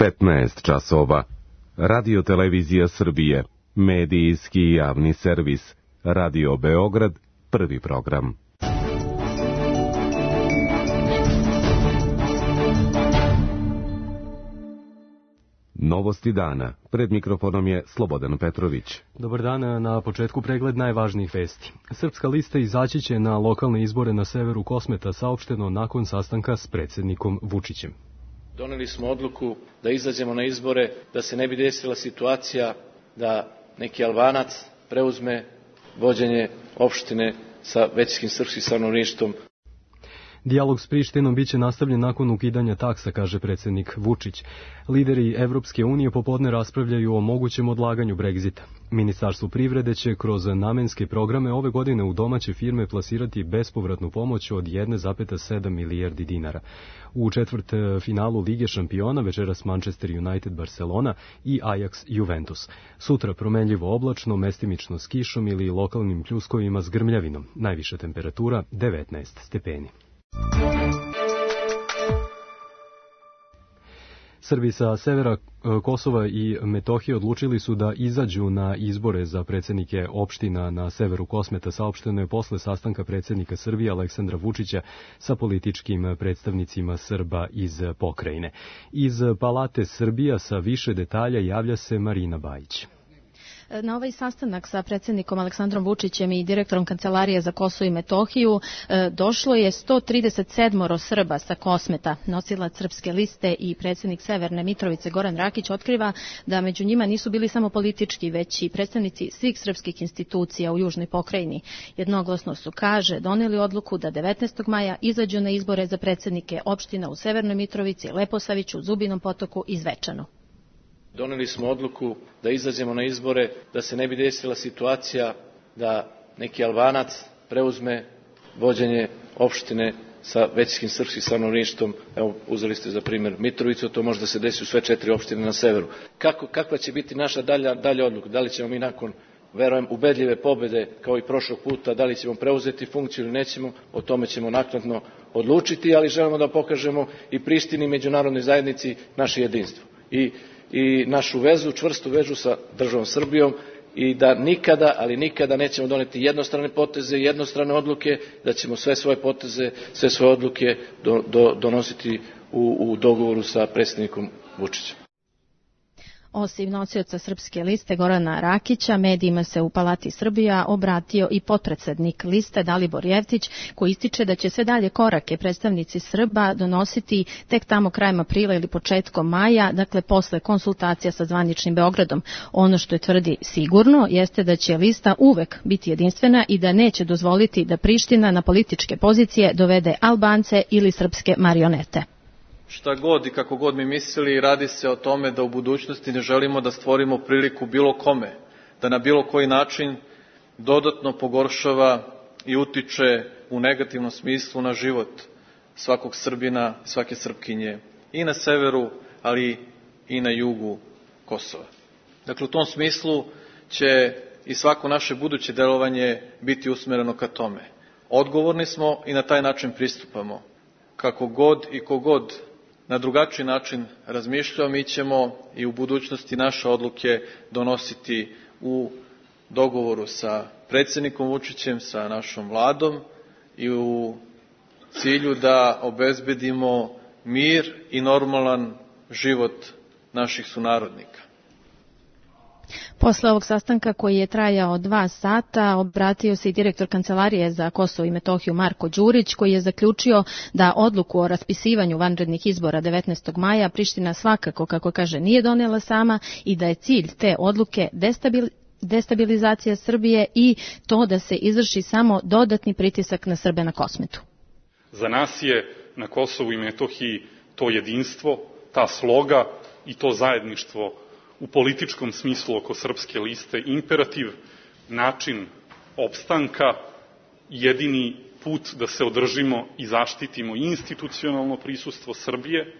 15 časova. Radio Televizija Srbije, medijski javni servis, Radio Beograd, prvi program. Novosti dana. Pred mikrofonom je Slobodan Petrović. Dobar dan, na početku pregled najvažnijih vesti. Srpska lista izaći će na lokalne izbore na severu Kosmeta, saopšteno nakon sastanka s predsjednikom Vučićem. Doneli smo odluku da izađemo na izbore, da se ne bi desila situacija da neki Albanac preuzme vođenje opštine sa većinskim srpskim stanovništvom. Dijalog s Prištinom biće nastavljen nakon ukidanja taksa, kaže predsjednik Vučić. Lideri Evropske unije popodne raspravljaju o mogućem odlaganju Brexita. Ministarstvo privrede će kroz namenske programe ove godine u domaće firme plasirati bespovratnu pomoć od 1,7 milijardi dinara. U četvrt finalu Lige šampiona večeras Manchester United Barcelona i Ajax Juventus. Sutra promenljivo oblačno, mestimično s kišom ili lokalnim pljuskovima s grmljavinom. Najviša temperatura 19 stepeni. Srbi sa severa Kosova i Metohije odlučili su da izađu na izbore za predsjednike opština na severu Kosmeta, saopšteno je posle sastanka predsjednika Srbije Aleksandra Vučića sa političkim predstavnicima Srba iz pokrajine. Iz Palate Srbija sa više detalja javlja se Marina Bajić. Na ovaj sastanak sa predsjednikom Aleksandrom Vučićem i direktorom Kancelarije za Kosovo i Metohiju došlo je 137 Srba sa Kosmeta. Nosilac Srpske liste i predsjednik Severne Mitrovice Goran Rakić otkriva da među njima nisu bili samo politički, već i predstavnici svih srpskih institucija u južnoj pokrajini. Jednoglasno su, kaže, doneli odluku da 19. maja izađu na izbore za predsjednike opština u Severnoj Mitrovici, Leposaviću, Zubinom Potoku i Zvečanu. Doneli smo odluku da izađemo na izbore, da se ne bi desila situacija da neki Albanac preuzme vođenje opštine sa većinskim srpskim stanovništvom. Evo, uzeli ste za primjer Mitrovicu, to može da se desi u sve 4 opštine na severu. Kakva će biti naša dalja odluka? Da li ćemo mi nakon, verujem, ubedljive pobjede kao i prošlog puta, da li ćemo preuzeti funkciju ili nećemo, o tome ćemo naknadno odlučiti, ali želimo da pokažemo i Prištini i međunarodnoj zajednici naše jedinstvo i našu vezu, čvrstu vezu sa državom Srbijom i da nikada, ali nikada nećemo doneti jednostrane poteze, jednostrane odluke, da ćemo sve svoje poteze, sve svoje odluke donositi u dogovoru sa predsjednikom Vučićem. Osim nosioca Srpske liste Gorana Rakića, medijima se u Palati Srbija obratio i potpredsednik liste Dalibor Jevtić, koji ističe da će sve dalje korake predstavnici Srba donositi tek tamo krajem aprila ili početkom maja, dakle posle konsultacija sa zvaničnim Beogradom. Ono što je tvrdi sigurno jeste da će lista uvek biti jedinstvena i da neće dozvoliti da Priština na političke pozicije dovede Albance ili srpske marionete. Šta god i kako god mi mislili, radi se o tome da u budućnosti ne želimo da stvorimo priliku bilo kome, da na bilo koji način dodatno pogoršava i utiče u negativnom smislu na život svakog Srbina, svake Srpkinje i na severu, ali i na jugu Kosova. Dakle, u tom smislu će i svako naše buduće delovanje biti usmereno ka tome. Odgovorni smo i na taj način pristupamo. Kako god i kogod na drugačiji način razmišljao, mi ćemo i u budućnosti naše odluke donositi u dogovoru sa predsjednikom Vučićem, sa našom vladom i u cilju da obezbedimo mir i normalan život naših sunarodnika. Posle ovog sastanka koji je trajao 2 sata, obratio se i direktor Kancelarije za Kosovo i Metohiju Marko Đurić, koji je zaključio da odluku o raspisivanju vanrednih izbora 19. maja Priština svakako, kako kaže, nije donela sama i da je cilj te odluke destabilizacija Srbije i to da se izvrši samo dodatni pritisak na Srbe na Kosmetu. Za nas je na Kosovu i Metohiji to jedinstvo, ta sloga i to zajedništvo u političkom smislu oko Srpske liste imperativ, način opstanka, jedini put da se održimo i zaštitimo institucionalno prisustvo Srbije,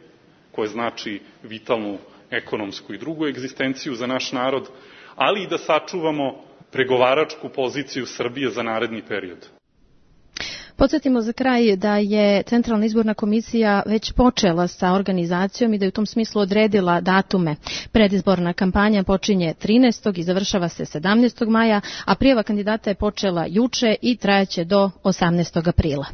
koje znači vitalnu ekonomsku i drugu egzistenciju za naš narod, ali i da sačuvamo pregovaračku poziciju Srbije za naredni period. Podsjetimo za kraj da je Centralna izborna komisija već počela sa organizacijom i da je u tom smislu odredila datume. Predizborna kampanja počinje 13. i završava se 17. maja, a prijava kandidata je počela juče i trajaće do 18. aprila.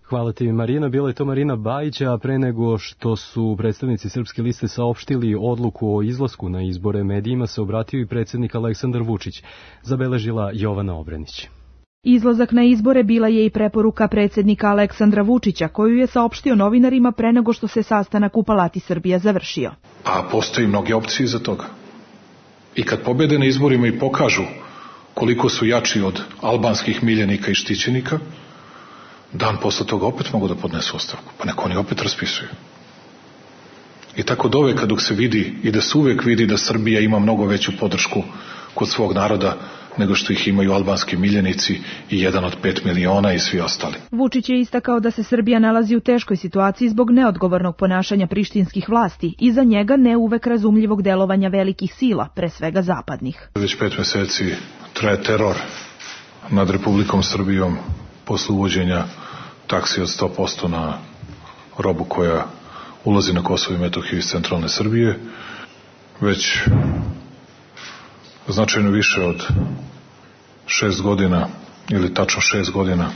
Hvala ti, Marina. Bila je to Marina Bajić, a pre nego što su predstavnici Srpske liste saopštili odluku o izlasku na izbore medijima, se obratio i predsjednik Aleksandar Vučić, zabeležila Jovana Obrenić. Izlazak na izbore bila je i preporuka predsjednika Aleksandra Vučića, koju je saopštio novinarima pre nego što se sastanak u Palati Srbija završio. A postoji mnoge opcije za toga. I kad pobede na izborima i pokažu koliko su jači od albanskih miljenika i štićenika, dan posle toga opet mogu da podnesu ostavku, pa neko oni opet raspisuju. I tako doveka dok se vidi i da se uvek vidi da Srbija ima mnogo veću podršku kod svog naroda nego što ih imaju albanski miljenici i 1 od 5 miliona i svi ostali. Vučić je istakao da se Srbija nalazi u teškoj situaciji zbog neodgovornog ponašanja prištinskih vlasti i za njega ne uvek razumljivog delovanja velikih sila, pre svega zapadnih. Već 5 meseci traje teror nad Republikom Srbijom posle uvođenja taksi od 100% na robu koja ulazi na Kosovo i Metohiju iz centralne Srbije. Već značajno više od 6 godina, ili tačno 6 godina,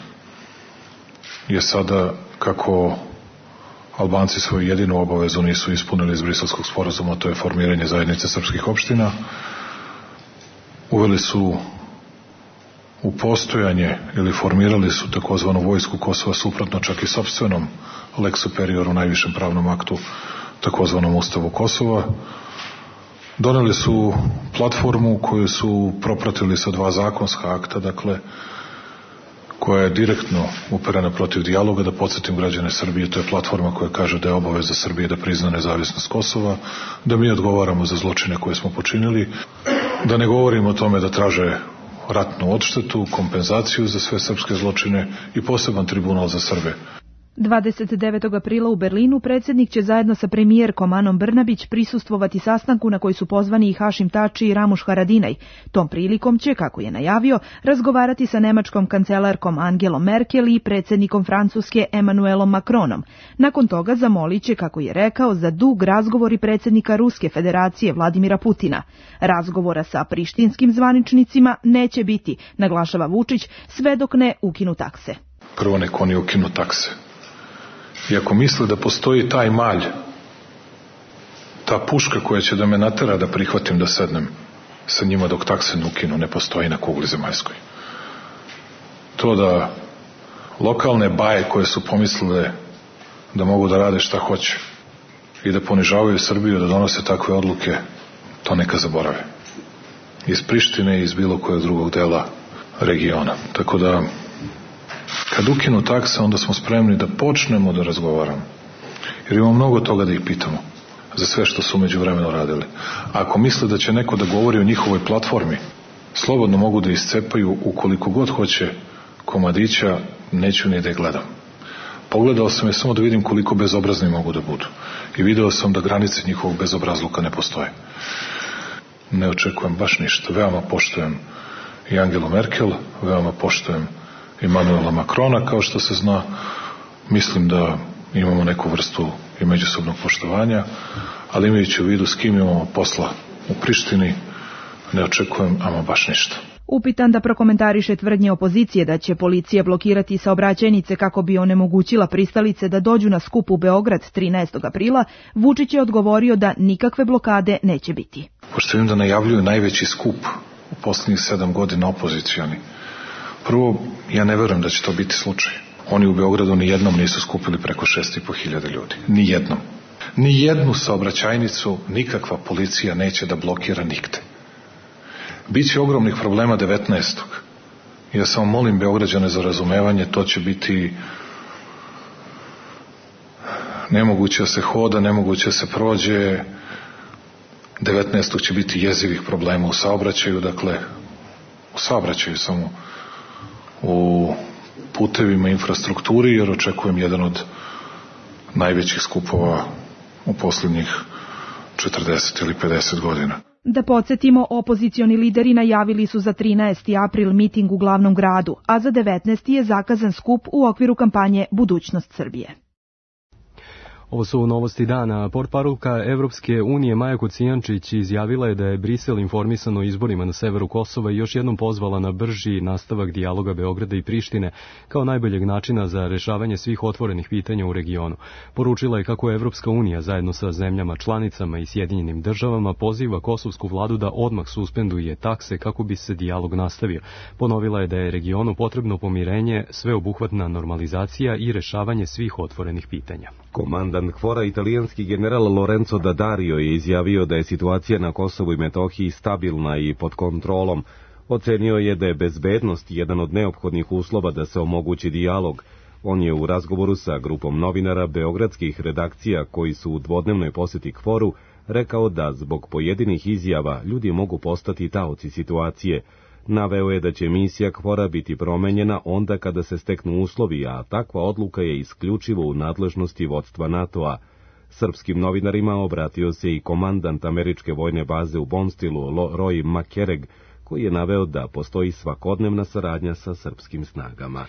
je sada, kako Albanci svoju jedinu obavezu nisu ispunili iz Briselskog sporazuma, to je formiranje zajednice srpskih opština, uveli su u postojanje ili formirali su takozvanu vojsku Kosova suprotno čak i sopstvenom lex superioru, najvišem pravnom aktu, takozvanom Ustavu Kosova. Doneli su platformu koju su propratili sa 2 zakonska akta, dakle, koja je direktno uperena protiv dijaloga. Da podsjetim građane Srbije, to je platforma koja kaže da je obaveza Srbije da prizna nezavisnost Kosova, da mi odgovaramo za zločine koje smo počinili, da ne govorimo o tome da traže ratnu odštetu, kompenzaciju za sve srpske zločine i poseban tribunal za Srbe. 29. aprila u Berlinu predsjednik će zajedno sa premijerkom Anom Brnabić prisustvovati sastanku na koji su pozvani i Hašim Tači i Ramuš Haradinaj. Tom prilikom će, kako je najavio, razgovarati sa nemačkom kancelarkom Angelom Merkel i predsjednikom Francuske Emmanuelom Macronom. Nakon toga zamolit će, kako je rekao, za dug razgovor i predsjednika Ruske federacije Vladimira Putina. Razgovora sa prištinskim zvaničnicima neće biti, naglašava Vučić, sve dok ne ukinu takse. Prvo nek oni ukinu takse. I ako misle da postoji taj malj, ta puška koja će da me natera da prihvatim da sednem sa njima dok takse ne ukinu, ne postoji na kugli zemaljskoj. To da lokalne baje koje su pomislile da mogu da rade šta hoće i da ponižavaju Srbiju, da donose takve odluke, to neka zaborave. Iz Prištine i iz bilo kojeg drugog dela regiona. Tako da, kad ukinu takse, onda smo spremni da počnemo da razgovaramo. Jer imamo mnogo toga da ih pitamo za sve što su međuvremeno radili. A ako misle da će neko da govori o njihovoj platformi, slobodno mogu da iscepaju ukoliko god hoće komadića, neću ni da je gledam. Pogledao sam je samo da vidim koliko bezobrazni mogu da budu. I video sam da granice njihovog bezobrazluka ne postoje. Ne očekujem baš ništa. Veoma poštujem i Angelu Merkel, veoma poštujem Emmanuela Macrona, kao što se zna. Mislim da imamo neku vrstu i međusobnog poštovanja, ali imajući u vidu s kim imamo posla u Prištini, ne očekujem ama baš ništa. Upitan da prokomentariše tvrdnje opozicije da će policija blokirati saobraćajnice kako bi onemogućila pristalice da dođu na skup u Beograd 13. aprila, Vučić je odgovorio da nikakve blokade neće biti. Pošto vidim da najavljuju najveći skup u posljednjih 7 godina opozicioni. Prvo, ja ne verujem da će to biti slučaj. Oni u Beogradu ni jednom nisu skupili preko 6.500 ljudi. Ni jednom. Ni jednu saobraćajnicu nikakva policija neće da blokira nigde. Biće ogromnih problema 19. Ja samo molim Beograđane za razumevanje, to će biti nemoguće da se hoda, nemoguće da se prođe. 19. će biti jezivih problema u saobraćaju, dakle, u saobraćaju samo, u putevima, infrastrukturi, jer očekujem jedan od najvećih skupova u posljednjih 40 ili 50 godina. Da podsjetimo, opozicioni lideri najavili su za 13. april miting u glavnom gradu, a za 19. je zakazan skup u okviru kampanje Budućnost Srbije. Ovo su novosti dana. Portparolka Evropske unije Maja Kocijančić izjavila je da je Brisel informisan o izborima na severu Kosova i još jednom pozvala na brži nastavak dijaloga Beograda i Prištine kao najboljeg načina za rešavanje svih otvorenih pitanja u regionu. Poručila je kako Evropska unija zajedno sa zemljama članicama i Sjedinjenim državama poziva kosovsku vladu da odmah suspenduje takse kako bi se dijalog nastavio. Ponovila je da je regionu potrebno pomirenje, sveobuhvatna normalizacija i rešavanje svih otvorenih pitanja. Komandant KFOR-a, italijanski general Lorenzo D'Addario, je izjavio da je situacija na Kosovu i Metohiji stabilna i pod kontrolom. Ocenio je da je bezbednost jedan od neophodnih uslova da se omogući dijalog. On je u razgovoru sa grupom novinara beogradskih redakcija koji su u dvodnevnoj poseti KFOR-u rekao da zbog pojedinih izjava ljudi mogu postati taoci situacije. Naveo je da će misija KFOR-a biti promenjena onda kada se steknu uslovi, a takva odluka je isključivo u nadležnosti vodstva NATO-a. Srpskim novinarima obratio se i komandant američke vojne baze u Bonstilu, Roy McCarrig, koji je naveo da postoji svakodnevna saradnja sa srpskim snagama.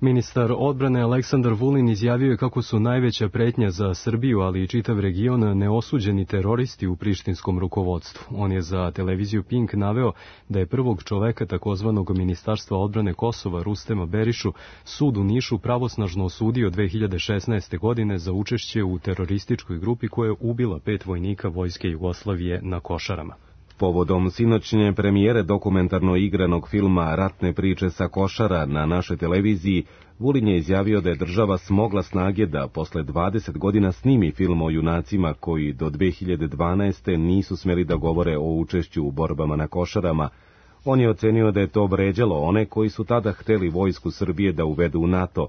Ministar odbrane Aleksandar Vulin izjavio je kako su najveća pretnja za Srbiju, ali i čitav region, neosuđeni teroristi u prištinskom rukovodstvu. On je za televiziju Pink naveo da je prvog čoveka takozvanog Ministarstva odbrane Kosova, Rustema Berišu, sud u Nišu pravosnažno osudio 2016. godine za učešće u terorističkoj grupi koja je ubila 5 vojnika vojske Jugoslavije na Košarama. Povodom sinoćnje premijere dokumentarno igranog filma Ratne priče sa Košara na našoj televiziji, Vulin je izjavio da je država smogla snage da posle 20 godina snimi film o junacima koji do 2012. nisu smeli da govore o učešću u borbama na Košarama. On je ocenio da je to vređalo one koji su tada hteli vojsku Srbije da uvedu u NATO.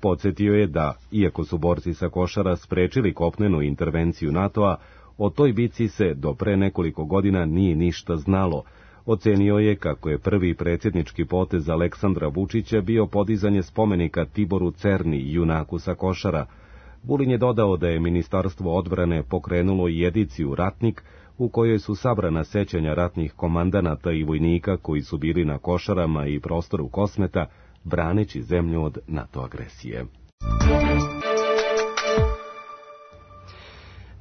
Podsjetio je da, iako su borci sa Košara sprečili kopnenu intervenciju NATO-a, o toj bici se do pre nekoliko godina nije ništa znalo. Ocenio je kako je prvi predsjednički potez Aleksandra Vučića bio podizanje spomenika Tiboru Cerni, junaku sa Košara. Vulin je dodao da je Ministarstvo odbrane pokrenulo i ediciju Ratnik, u kojoj su sabrana sećanja ratnih komandanata i vojnika koji su bili na Košarama i prostoru Kosmeta, braneći zemlju od NATO agresije.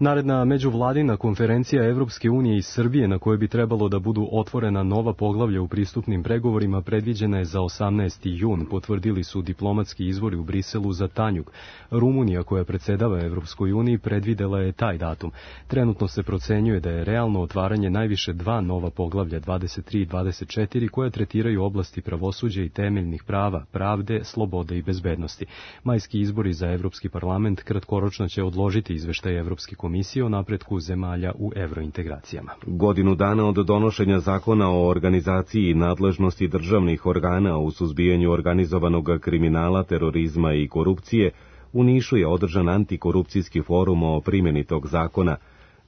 Naredna međuvladina konferencija Evropske unije i Srbije, na kojoj bi trebalo da budu otvorena nova poglavlja u pristupnim pregovorima, predviđena je za 18. jun, potvrdili su diplomatski izvori u Briselu za Tanjug. Rumunija, koja predsjedava Evropskoj uniji, predvidela je taj datum. Trenutno se procenjuje da je realno otvaranje najviše 2 nova poglavlja, 23 i 24, koja tretiraju oblasti pravosuđa i temeljnih prava, pravde, slobode i bezbednosti. Majski izbori za Evropski parlament kratkoročno će odložiti izveštaj Evropske komisije o napretku zemalja u evrointegracijama. Godinu dana od donošenja zakona o organizaciji i nadležnosti državnih organa u suzbijanju organizovanog kriminala, terorizma i korupcije, u Nišu je održan antikorupcijski forum o primjeni tog zakona.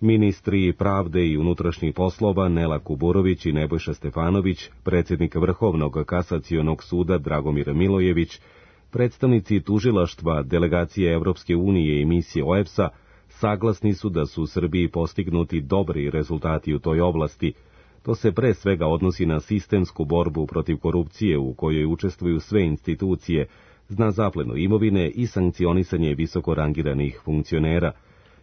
Ministri pravde i unutrašnjih poslova Nela Kuburović i Nebojša Stefanović, predsjednik Vrhovnog kasacionog suda Dragomir Milojević, predstavnici tužilaštva, delegacije Evropske unije i misije OEBS-a, saglasni su da su u Srbiji postignuti dobri rezultati u toj oblasti. To se pre svega odnosi na sistemsku borbu protiv korupcije u kojoj učestvuju sve institucije, na zaplenu imovine i sankcionisanje visoko rangiranih funkcionera.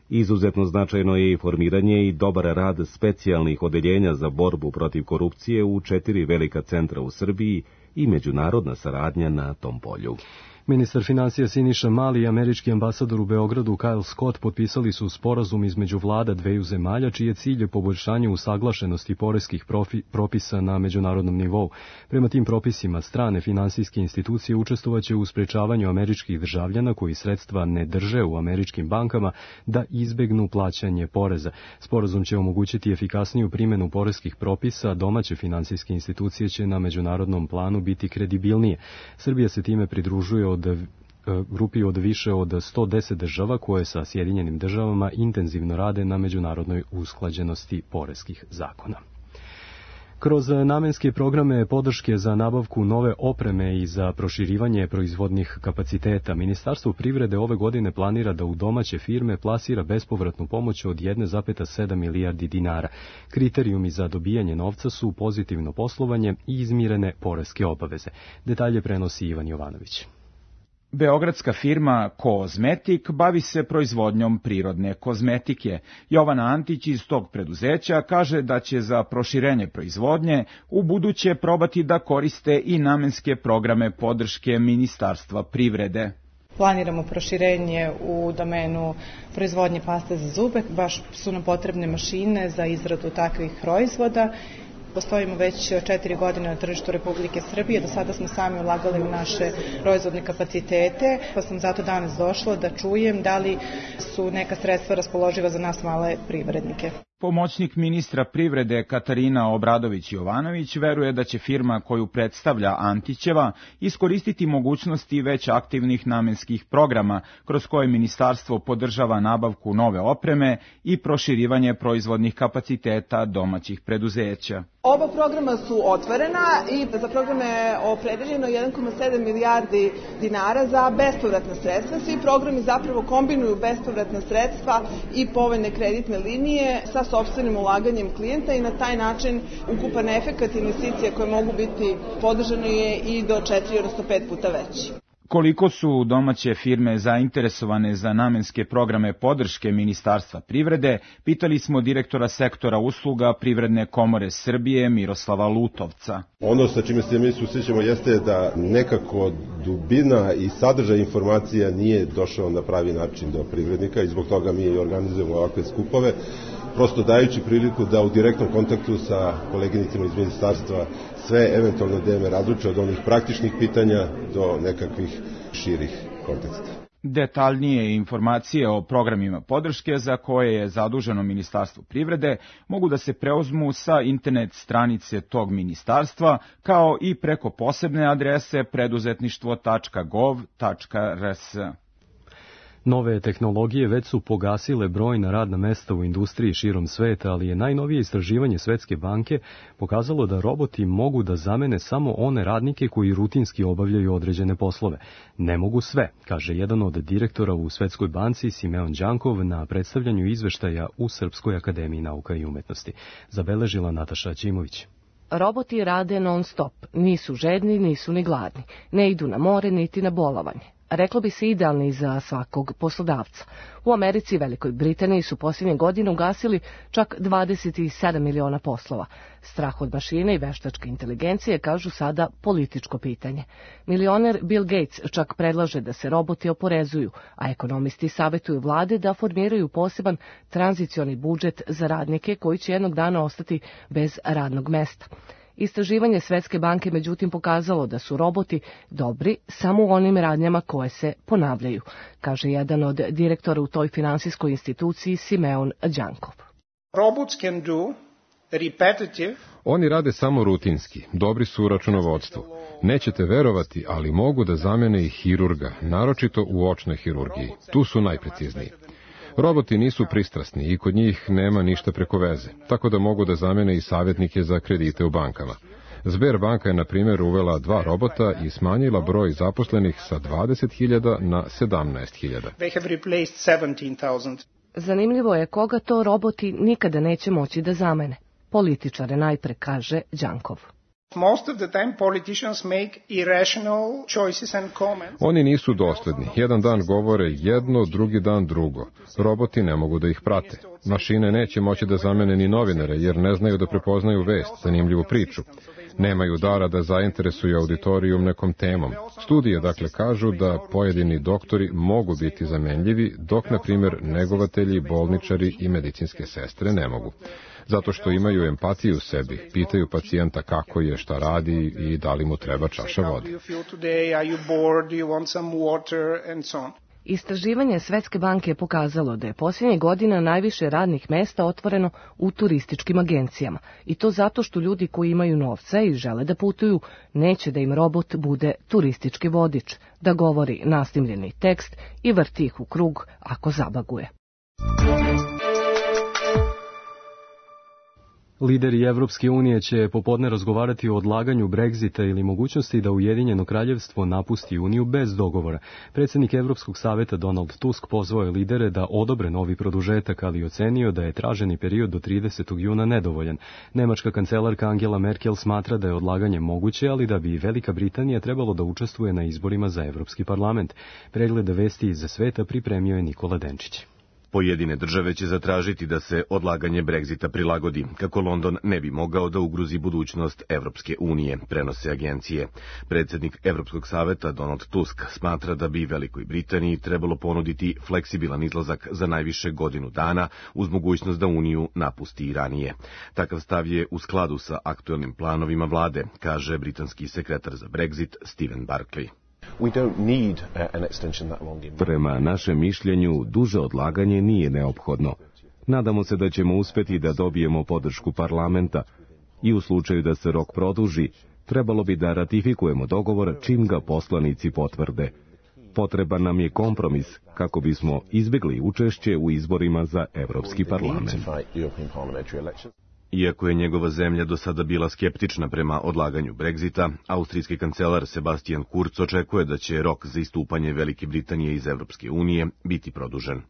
Izuzetno značajno je i formiranje i dobar rad specijalnih odeljenja za borbu protiv korupcije u 4 velika centra u Srbiji i međunarodna saradnja na tom polju. Ministar financija Siniša Mali i američki ambasador u Beogradu Kyle Scott potpisali su sporazum između vlada dveju zemalja, čiji je cilj poboljšanje usaglašenosti poreskih propisa na međunarodnom nivou. Prema tim propisima, strane finansijske institucije učestvovaće u sprečavanju američkih državljana koji sredstva ne drže u američkim bankama da izbegnu plaćanje poreza. Sporazum će omogućiti efikasniju primjenu poreskih propisa, domaće finansijske institucije će na međunarodnom planu biti kredibilnije. Srbija se time pridružuje grupi od više od 110 država koje sa Sjedinjenim državama intenzivno rade na međunarodnoj usklađenosti poreskih zakona. Kroz namenske programe podrške za nabavku nove opreme i za proširivanje proizvodnih kapaciteta, Ministarstvo privrede ove godine planira da u domaće firme plasira bespovratnu pomoć od 1,7 milijardi dinara. Kriterijumi za dobijanje novca su pozitivno poslovanje i izmirene poreske obaveze. Detalje prenosi Ivan Jovanović. Beogradska firma Kozmetik bavi se proizvodnjom prirodne kozmetike. Jovana Antić iz tog preduzeća kaže da će za proširenje proizvodnje u buduće probati da koriste i namenske programe podrške Ministarstva privrede. Planiramo proširenje u domenu proizvodnje paste za zube, baš su nam potrebne mašine za izradu takvih proizvoda. Postojimo već 4 godine na tržištu Republike Srbije, do sada smo sami ulagali u naše proizvodne kapacitete, pa sam zato danas došla da čujem da li su neka sredstva raspoloživa za nas male privrednike. Pomoćnik ministra privrede Katarina Obradović-Jovanović veruje da će firma koju predstavlja Antićeva iskoristiti mogućnosti već aktivnih namenskih programa kroz koje ministarstvo podržava nabavku nove opreme i proširivanje proizvodnih kapaciteta domaćih preduzeća. Oba programa su otvorena i za programe je opredeljeno 1,7 milijardi dinara za bespovratna sredstva. Svi programi zapravo kombinuju bespovratna sredstva i povoljne kreditne linije sa sopstvenim ulaganjem klijenta i na taj način ukupan efekat investicija koje mogu biti podržane je i do 4, odnosno 5 puta veći. Koliko su domaće firme zainteresovane za namenske programe podrške Ministarstva privrede, pitali smo direktora sektora usluga Privredne komore Srbije Miroslava Lutovca. Ono sa čime se mi susrećemo jeste da nekako dubina i sadržaj informacija nije došao na pravi način do privrednika i zbog toga mi organizujemo ovakve skupove, prosto dajući priliku da u direktnom kontaktu sa koleginicima iz ministarstva sve eventualne teme razluče od onih praktičnih pitanja do nekakvih širih konteksta. Detaljnije informacije o programima podrške za koje je zaduženo Ministarstvo privrede mogu da se preuzmu sa internet stranice tog ministarstva, kao i preko posebne adrese preduzetništvo.gov.rs. Nove tehnologije već su pogasile brojna radna mesta u industriji širom sveta, ali je najnovije istraživanje Svetske banke pokazalo da roboti mogu da zamene samo one radnike koji rutinski obavljaju određene poslove. Ne mogu sve, kaže jedan od direktora u Svetskoj banci Simeon Đankov na predstavljanju izveštaja u Srpskoj akademiji nauka i umetnosti. Zabeležila Nataša Ćimović. Roboti rade non stop, nisu žedni, nisu ni gladni, ne idu na more niti na bolovanje. Reklo bi se idealni za svakog poslodavca. U Americi i Velikoj Britaniji su posljednje godine ugasili čak 27 miliona poslova. Strah od mašine i veštačke inteligencije kažu sada političko pitanje. Milioner Bill Gates čak predlaže da se roboti oporezuju, a ekonomisti savjetuju vlade da formiraju poseban tranzicioni budžet za radnike koji će jednog dana ostati bez radnog mesta. Istraživanje Svetske banke međutim pokazalo da su roboti dobri samo u onim radnjama koje se ponavljaju, kaže jedan od direktora u toj finansijskoj instituciji Simeon Đankov. Oni rade samo rutinski, dobri su u računovodstvu. Nećete verovati, ali mogu da zamene i hirurga, naročito u očnoj hirurgiji. Tu su najprecizniji. Roboti nisu pristrasni i kod njih nema ništa preko veze, tako da mogu da zamene i savjetnike za kredite u bankama. Sberbanka je, na primjer, uvela 2 robota i smanjila broj zaposlenih sa 20.000 na 17.000. Zanimljivo je koga to roboti nikada neće moći da zamene. Političare najpre, kaže Đankov. Oni nisu dosledni. Jedan dan govore jedno, drugi dan drugo. Roboti ne mogu da ih prate. Mašine neće moći da zamene ni novinare, jer ne znaju da prepoznaju vest, zanimljivu priču. Nemaju dara da zainteresuju auditorijum nekom temom. Studije, dakle, kažu da pojedini doktori mogu biti zamenljivi, dok, na primjer, negovatelji, bolničari i medicinske sestre ne mogu. Zato što imaju empatiju u sebi, pitaju pacijenta kako je, šta radi i da li mu treba čaša vode. Istraživanje Svetske banke je pokazalo da je posljednjih godina najviše radnih mesta otvoreno u turističkim agencijama. I to zato što ljudi koji imaju novca i žele da putuju, neće da im robot bude turistički vodič, da govori nasnimljeni tekst i vrti ih u krug ako zabaguje. Lideri Evropske unije će popodne razgovarati o odlaganju Brexita ili mogućnosti da Ujedinjeno kraljevstvo napusti Uniju bez dogovora. Predsjednik Evropskog saveta Donald Tusk pozvao je lidere da odobre novi produžetak, ali ocenio da je traženi period do 30. juna nedovoljan. Nemačka kancelarka Angela Merkel smatra da je odlaganje moguće, ali da bi Velika Britanija trebalo da učestvuje na izborima za Evropski parlament. Pregled vesti iz sveta pripremio je Nikola Denčić. Pojedine države će zatražiti da se odlaganje Brexita prilagodi, kako London ne bi mogao da ugrozi budućnost Evropske unije, prenose agencije. Predsjednik Evropskog saveta Donald Tusk smatra da bi Velikoj Britaniji trebalo ponuditi fleksibilan izlazak za najviše godinu dana uz mogućnost da Uniju napusti i ranije. Takav stav je u skladu sa aktuelnim planovima vlade, kaže britanski sekretar za Brexit Stephen Barclay. Prema našem mišljenju, duže odlaganje nije neophodno. Nadamo se da ćemo uspjeti da dobijemo podršku parlamenta i u slučaju da se rok produži, trebalo bi da ratifikujemo dogovor čim ga poslanici potvrde. Potreban nam je kompromis kako bismo izbjegli učešće u izborima za Evropski parlament. Iako je njegova zemlja do sada bila skeptična prema odlaganju Brexita, austrijski kancelar Sebastian Kurz očekuje da će rok za istupanje Velike Britanije iz Evropske unije biti produžen.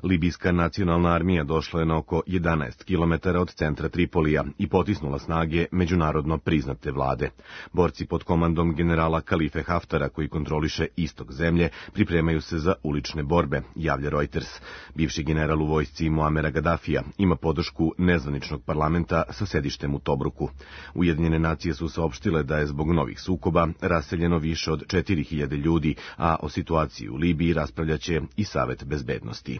Libijska nacionalna armija došla je na oko 11 km od centra Tripolija i potisnula snage međunarodno priznate vlade. Borci pod komandom generala Kalife Haftara, koji kontroliše istok zemlje, pripremaju se za ulične borbe, javlja Reuters. Bivši general u vojsci Muamera Gaddafija ima podršku nezvaničnog parlamenta sa sedištem u Tobruku. Ujedinjene nacije su saopštile da je zbog novih sukoba raseljeno više od 4000 ljudi, a o situaciji u Libiji raspravljaće i Savet bezbednosti.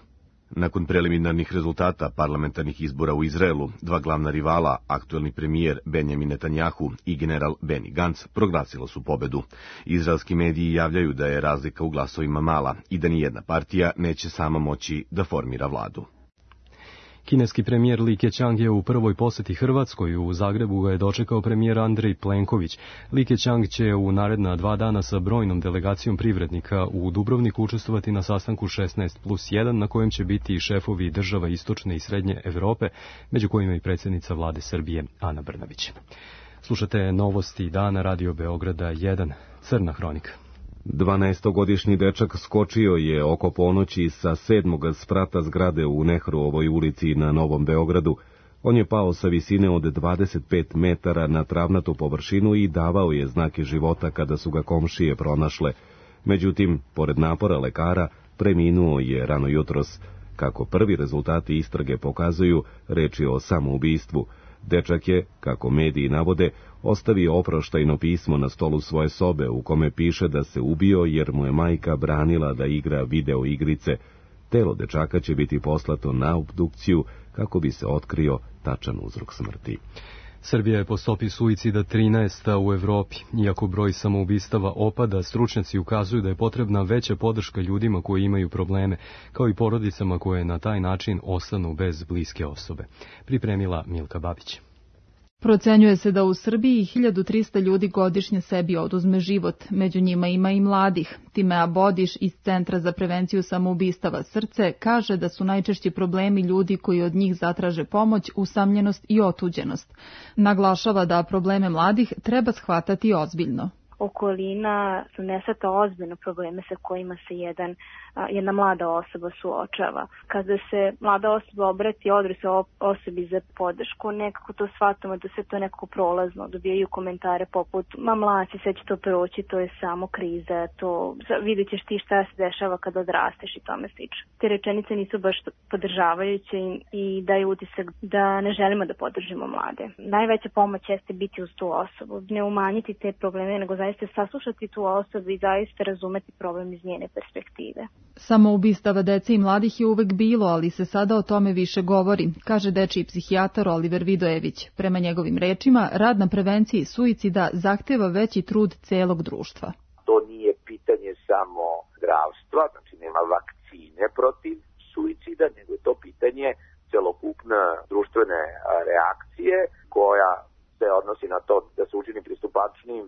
Nakon preliminarnih rezultata parlamentarnih izbora u Izraelu, dva glavna rivala, aktuelni premijer Benjamin Netanjahu i general Benny Gantz, proglasilo su pobedu. Izraelski mediji javljaju da je razlika u glasovima mala i da nijedna partija neće sama moći da formira vladu. Kineski premijer Li Keqiang je u prvoj posjeti Hrvatskoj. U Zagrebu ga je dočekao premijer Andrej Plenković. Li Keqiang će u naredna 2 dana sa brojnom delegacijom privrednika u Dubrovniku učestvovati na sastanku 16+1, na kojem će biti i šefovi država istočne i srednje Evrope, među kojima i predsjednica vlade Srbije Ana Brnabić. Slušate novosti dana Radio Beograda 1, Crna hronika. 12-godišnji dečak skočio je oko ponoći sa 7. sprata zgrade u Nehruovoj ulici na Novom Beogradu. On je pao sa visine od 25 metara na travnatu površinu i davao je znake života kada su ga komšije pronašle. Međutim, pored napora lekara, preminuo je rano jutros. Kako prvi rezultati istrage pokazuju, reč je o samoubistvu. Dečak je, kako mediji navode, ostavio oproštajno pismo na stolu svoje sobe u kome piše da se ubio jer mu je majka branila da igra video igrice. Telo dečaka će biti poslato na obdukciju kako bi se otkrio tačan uzrok smrti. Srbija je po stopi suicida 13. u Evropi. Iako broj samoubistava opada, stručnjaci ukazuju da je potrebna veća podrška ljudima koji imaju probleme, kao i porodicama koje na taj način ostanu bez bliske osobe. Pripremila Milka Babić. Procenjuje se da u Srbiji 1300 ljudi godišnje sebi oduzme život, među njima ima i mladih. Timea Bodiš iz Centra za prevenciju samoubistava Srce kaže da su najčešći problemi ljudi koji od njih zatraže pomoć, usamljenost i otuđenost. Naglašava da probleme mladih treba shvatati ozbiljno. Okolina ne shvata ozbiljno probleme sa kojima se jedna mlada osoba suočava. Kada se mlada osoba obrati odrasloj osobi za podršku, nekako to shvatamo da se to nekako prolazno, dobijaju komentare poput ma mlaci, sve će to proći, to je samo kriza, to vidjet ćeš ti šta se dešava kada odrasteš i tome slično. Te rečenice nisu baš podržavajuće i daju utisak da ne želimo da podržimo mlade. Najveća pomoć jeste biti uz tu osobu, ne umanjiti te probleme, nego zaista saslušati tu osobu i zaista razumeti problem iz njene perspektive. Samoubistava dece i mladih je uvek bilo, ali se sada o tome više govori, kaže dečiji psihijatar Oliver Vidojević. Prema njegovim rečima, rad na prevenciji suicida zahteva veći trud celog društva. To nije pitanje samo zdravstva, znači nema vakcine protiv suicida, nego je to pitanje celokupne društvene reakcije koja se odnosi na to da se učini pristupačnim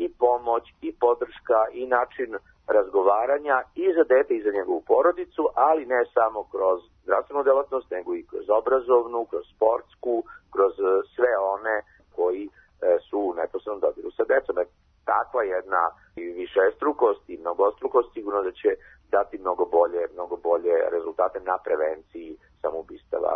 i pomoć, i podrška, i način razgovaranja i za dete i za njegovu porodicu, ali ne samo kroz zdravstvenu delatnost, nego i kroz obrazovnu, kroz sportsku, kroz sve će dati mnogo bolje rezultate na prevenciji samoubistava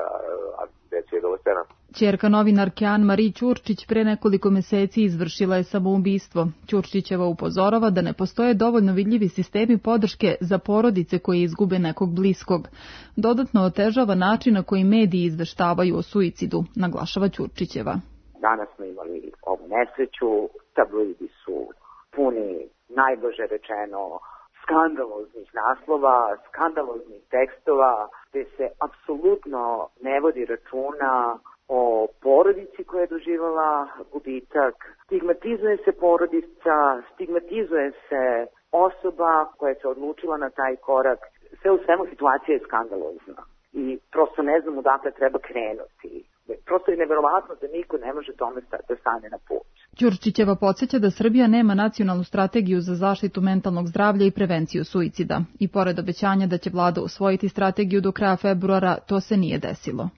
dece i adolescenata. Ćerka novinarke Anne-Marie Ćurčić pre nekoliko meseci izvršila je samoubistvo. Ćurčićeva upozorava da ne postoje dovoljno vidljivi sistemi podrške za porodice koje izgube nekog bliskog. Dodatno otežava način na koji mediji izveštavaju o suicidu, naglašava Ćurčićeva. Danas smo imali ovu nesreću, tabloidi su puni, najblaže rečeno, skandaloznih naslova, skandaloznih tekstova, gde se apsolutno ne vodi računa o porodici koja je doživjela gubitak. Stigmatizuje se porodica, stigmatizuje se osoba koja se odlučila na taj korak. Sve u svemu situacija je skandalozna i prosto ne znam odakle treba krenuti. Prosto je neverovatno da niko ne može tome da stane na put. Ćurčićeva podsjeća da Srbija nema nacionalnu strategiju za zaštitu mentalnog zdravlja i prevenciju suicida. I pored obećanja da će vlada usvojiti strategiju do kraja februara, to se nije desilo.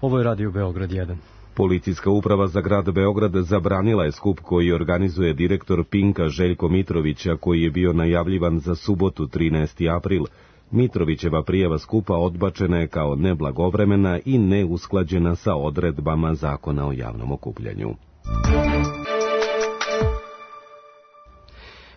Ovo je Radio Beograd 1. Policijska uprava za grad Beograd zabranila je skup koji organizuje direktor Pinka Željko Mitrovića, koji je bio najavljivan za subotu 13. april. Mitrovićeva prijava skupa odbačena je kao neblagovremena i neusklađena sa odredbama Zakona o javnom okupljanju.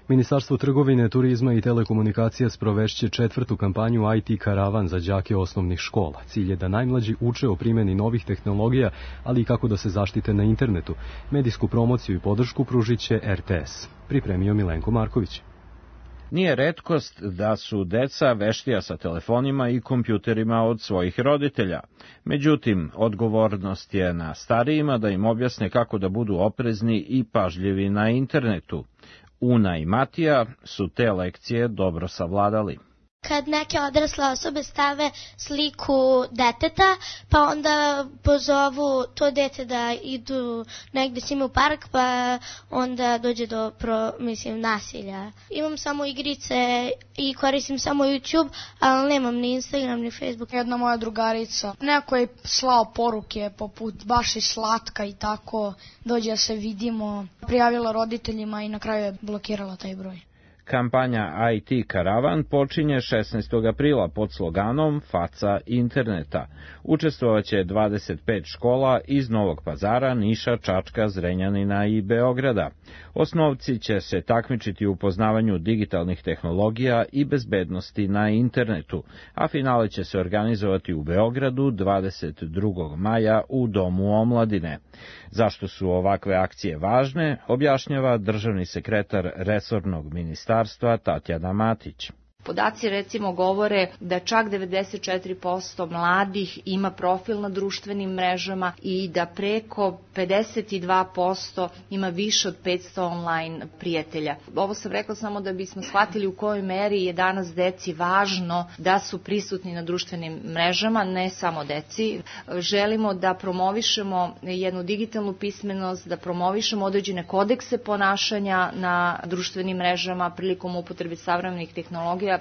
Ministarstvo trgovine, turizma i telekomunikacija sprovešće 4. kampanju IT Karavan za đake osnovnih škola. Cilj je da najmlađi uče o primjeni novih tehnologija, ali i kako da se zaštite na internetu. Medijsku promociju i podršku pružit će RTS. Pripremio Milenko Marković. Nije retkost da su deca veštija sa telefonima i kompjuterima od svojih roditelja. Međutim, odgovornost je na starijima da im objasne kako da budu oprezni i pažljivi na internetu. Una i Matija su te lekcije dobro savladali. Kad neke odrasle osobe stave sliku deteta, pa onda pozovu to dete da idu negde s njima u park, pa onda dođe do nasilja. Imam samo igrice i koristim samo YouTube, ali nemam ni Instagram ni Facebook. Jedna moja drugarica, neko je slao poruke poput baš je slatka i tako, dođe da se vidimo, prijavila roditeljima i na kraju je blokirala taj broj. Kampanja IT Karavan počinje 16. aprila pod sloganom Faca interneta. Učestvovaće 25 škola iz Novog Pazara, Niša, Čačka, Zrenjanina i Beograda. Osnovci će se takmičiti u poznavanju digitalnih tehnologija i bezbednosti na internetu, a finale će se organizovati u Beogradu 22. maja u Domu omladine. Zašto su ovakve akcije važne, objašnjava državni sekretar resornog ministarstva Tatjana Matić. Podaci recimo govore da čak 94% mladih ima profil na društvenim mrežama i da preko 52% ima više od 500 online prijatelja. Ovo sam rekla samo da bismo shvatili u kojoj meri je danas deci važno da su prisutni na društvenim mrežama, ne samo deci. Želimo da promovišemo jednu digitalnu pismenost, da promovišemo određene kodekse ponašanja na društvenim mrežama prilikom upotrebe savremenih tehnologija.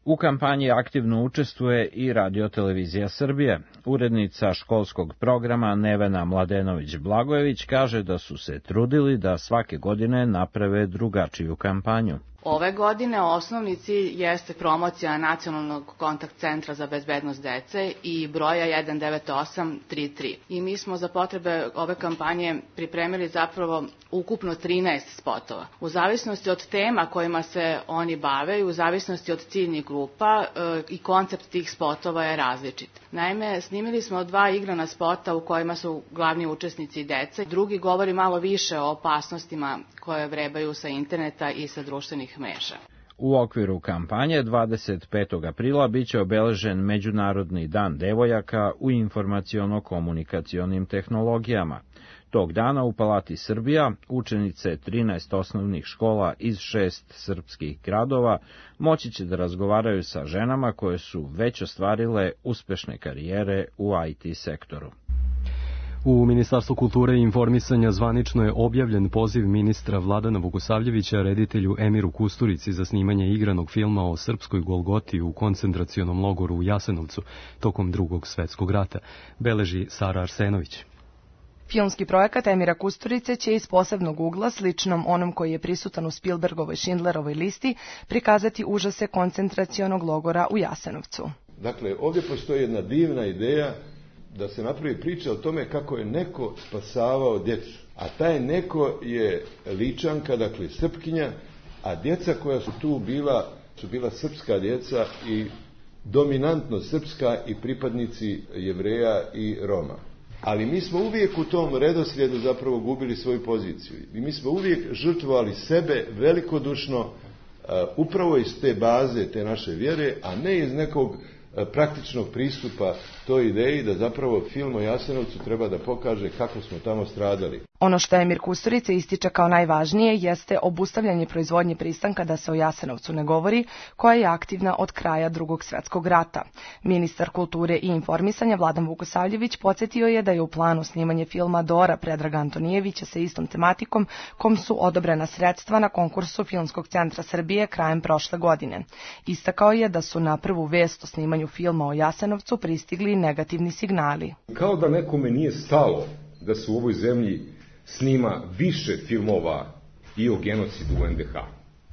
U kampanji aktivno učestvuje i Radio-televizija Srbije. Urednica školskog programa Nevena Mladenović-Blagojević kaže da su se trudili da svake godine naprave drugačiju kampanju. Ove godine osnovni cilj jeste promocija Nacionalnog kontakt centra za bezbednost dece i broja 19833. I mi smo za potrebe ove kampanje pripremili zapravo ukupno 13 spotova. U zavisnosti od tema kojima se oni bave i u zavisnosti od ciljnih grupa i koncept tih spotova je različit. Naime, snimili smo 2 igrana spota u kojima su glavni učesnici dece. Drugi govori malo više o opasnostima koje vrebaju sa interneta i sa društvenih mreža. U okviru kampanje 25. aprila biće obeležen Međunarodni dan devojaka u informaciono-komunikacionim tehnologijama. Tog dana u Palati Srbija učenice 13 osnovnih škola iz 6 srpskih gradova moći će da razgovaraju sa ženama koje su već ostvarile uspešne karijere u IT sektoru. U Ministarstvu kulture i informisanja zvanično je objavljen poziv ministra Vladana Vukosavljevića reditelju Emiru Kusturici za snimanje igranog filma o srpskoj Golgoti u koncentracionom logoru u Jasenovcu tokom Drugog svetskog rata, beleži Sara Arsenović. Filmski projekat Emira Kusturice će iz posebnog ugla, sličnom onom koji je prisutan u Spielbergovoj Schindlerovoj listi, prikazati užase koncentracionog logora u Jasenovcu. Dakle, ovdje postoji jedna divna ideja da se napravi priča o tome kako je neko spasavao djecu. A taj neko je Ličanka, dakle Srpkinja, a djeca koja su tu bila, su bila srpska djeca i dominantno srpska i pripadnici Jevreja i Roma. Ali mi smo uvijek u tom redoslijedu zapravo gubili svoju poziciju. I mi smo uvijek žrtvovali sebe velikodušno upravo iz te baze, te naše vjere, a ne iz nekog praktičnog pristupa toj ideji da zapravo film o Jasenovcu treba da pokaže kako smo tamo stradali. Ono što Emir Kusturica ističe kao najvažnije jeste obustavljanje proizvodnje pristanka da se o Jasenovcu ne govori, koja je aktivna od kraja Drugog svjetskog rata. Ministar kulture i informisanja Vladan Vukosavljević podsjetio je da je u planu snimanje filma Dora Predraga Antonijevića sa istom tematikom, kom su odobrena sredstva na konkursu Filmskog centra Srbije krajem prošle godine. Istakao je da su na prvu vest o snimanju filma o Jasenovcu pristigli negativni signali. Kao da nekome nije stalo da se u ovoj zemlji snima više filmova i o genocidu u NDH.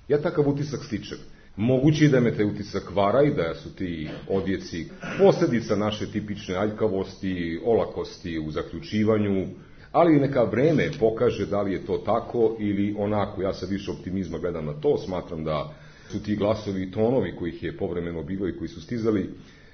Ja takav utisak stičem. Moguće je da me taj utisak vara i da su ti odjeci posljedica naše tipične aljkavosti, olakosti u zaključivanju, ali neka vreme pokaže da li je to tako ili onako. Ja sa više optimizma gledam na to, smatram da su ti glasovi i tonovi kojih je povremeno bilo i koji su stizali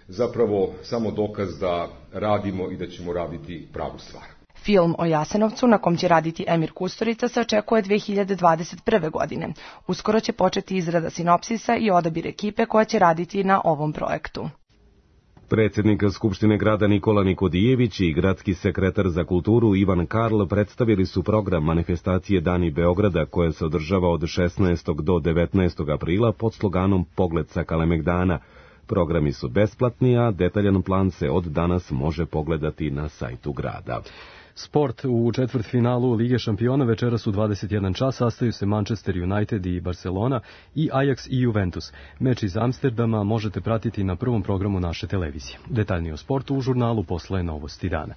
zapravo samo dokaz da radimo i da ćemo raditi pravu stvar. Film o Jasenovcu, na kom će raditi Emir Kusturica, se očekuje 2021. godine. Uskoro će početi izrada sinopsisa i odabir ekipe koja će raditi na ovom projektu. Predsjednik Skupštine grada Nikola Nikodijević i gradski sekretar za kulturu Ivan Karl predstavili su program manifestacije Dani Beograda koja se održava od 16. do 19. aprila pod sloganom Pogled sa Kalemegdana. Programi su besplatni, a detaljan plan se od danas može pogledati na sajtu grada. Sport u četvrtfinalu Lige šampiona večeras u 21 čas sastaju se Manchester United i Barcelona i Ajax i Juventus. Meč iz Amsterdama možete pratiti na prvom programu naše televizije. Detaljnije o sportu u žurnalu posle Novosti dana.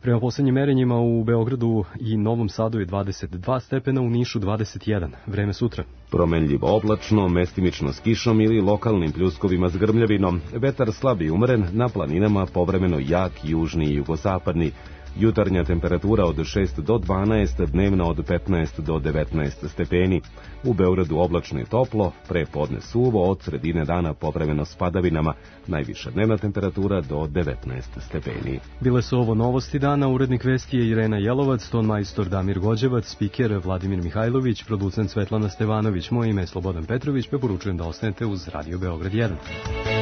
Prema posljednjim merenjima u Beogradu i Novom Sadu je 22 stepena, u Nišu 21. Vreme sutra. Promenljivo oblačno, mestimično s kišom ili lokalnim pljuskovima s grmljavinom. Vetar slab i umeren, na planinama povremeno jak južni i jugozapadni. Jutarnja temperatura od 6 do 12, dnevna od 15 do 19 stepeni. U Beogradu oblačno i toplo, pre podne suvo, od sredine dana povremeno s padavinama. Najviša dnevna temperatura do 19 stepeni. Bile su ovo Novosti dana, urednik vesti je Irena Jelovac, ton majstor Damir Gođevac, spiker Vladimir Mihajlović, producent Svetlana Stevanović, moje ime je Slobodan Petrović, preporučujem da ostanete uz Radio Beograd 1.